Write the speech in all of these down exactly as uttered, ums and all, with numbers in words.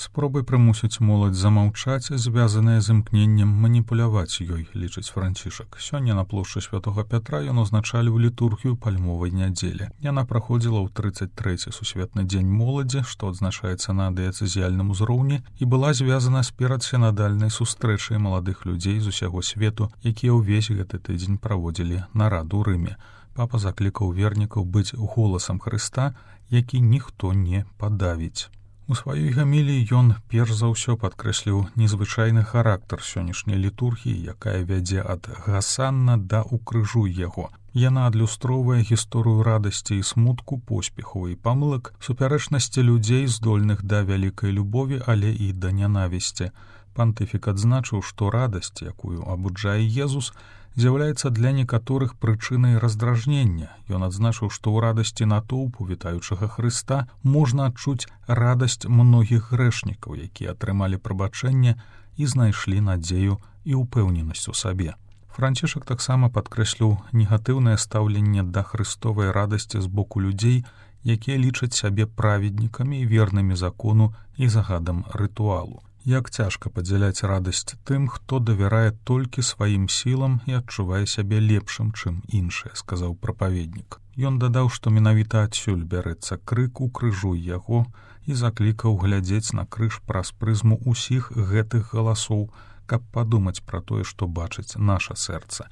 Спробай прымусіць моладзь замаўчаць, звязаная з імкненнем маніпуляваць ёй, лічыць Францішак. Сёння на плошчы Святога Пятра ён узначаліў літургію пальмовай нядзелі. Яна праходзіла ў трыццаць трэці сусветны дзень моладзі, што адзначаецца на дыяцэзіяльным узроўні, і была звязана з перадсінадальнай сустрэчай маладых людзей з усяго свету, якія ўвесь гэты тыдзень праводзілі нараду ў Рыме. Папа заклікаў вернікаў быць голасам Хрыста, які ніхто не падавіць. У сваёй гаміліі ён перш за ўсё падкрэсліў незвычайны характар сённяшняй літургіі, якая вядзе ад гасанна да укрыжуй яго. Яна адлюстроўвае гісторыю радасці і смутку, поспехаў і памылак, супярэчнасці людзей, здольных да вялікай любові, але і да нянавісці. Пантыфік адзначыў, што радасць, якую абуджае Езус, з'яўляецца для некаторых прычынай раздражнення. Ён адзначыў, што ў радасці натоўпу вітаючага Хрыста можна адчуць радасць многіх грэшнікаў, якія атрымалі прабачэнне і знайшлі надзею і ўпэўненасць у сабе. Францішак таксама падкрэсліў негатыўнае стаўленне да хрыстовай радасці з боку людзей, якія лічаць сябе праведнікамі і вернымі закону і загадам рытуалу. Як цяжка падзяляць радасць тым, хто давярае толькі сваім сілам і адчувае сябе лепшым, чым іншыя, сказаў прапаведнік. Ён дадаў, што менавіта адсюль бярэцца крык «Укрыжуй яго» і заклікаў глядзець на крыж праз прызму ўсіх гэтых галасоў, каб падумаць пра тое, што бачыць наша сэрца.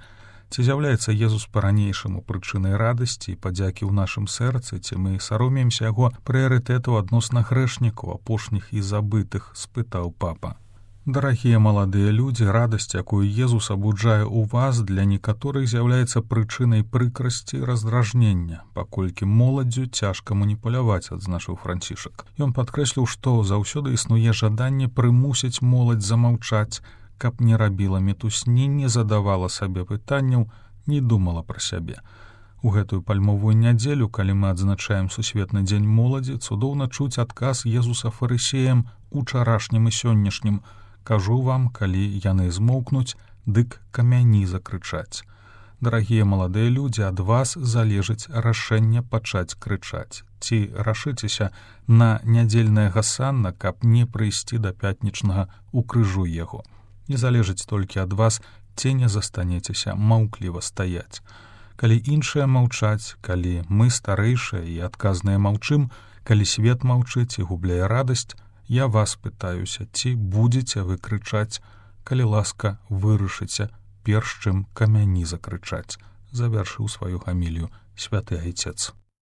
Ці з'яўляецца Езус па-ранейшаму прычынай радасці і падзякі ў нашым сэрцы, ці мы саромеемся яго прыярытэту адносна грэшнікаў, апошніх і забытых, спытаў папа. Дарагія маладыя людзі, радасць, якую Езус абуджае ў вас, для некаторых з'яўляецца прычынай прыкрасці і раздражнення, паколькі моладдзю цяжка маніпуляваць, адзначыў Францішак. Ён падкрэсліў, што заўсёды існуе жаданне прымусіць моладзь замаўчаць, каб не рабіла мітусні, не задавала сабе пытанняў, не думала пра сябе. У гэтую пальмовую нядзелю, калі мы адзначаем сусветны дзень моладзі, цудоўна чуць адказ Езуса фарысеям учарашнім і сённяшнім: «Кажу вам, калі яны змоўкнуць, дык камяні закрычаць». Дарагія маладыя людзі, ад вас залежыць рашэнне пачаць крычаць. Ці рашыцеся на нядзельнае гасанна, каб не прыйсці да пятнічнага «Укрыжуй яго». Не залежыць толькі ад вас, ці не застанецеся маўкліва стаяць. Калі іншыя маўчаць, калі мы старэйшыя і адказныя маўчым, калі свет маўчыць і губляе радасць, я вас пытаюся, ці будзеце вы крычаць, калі ласка вырашыце, перш чым камяні закрычаць, завяршыў сваю гамілію святы айцец.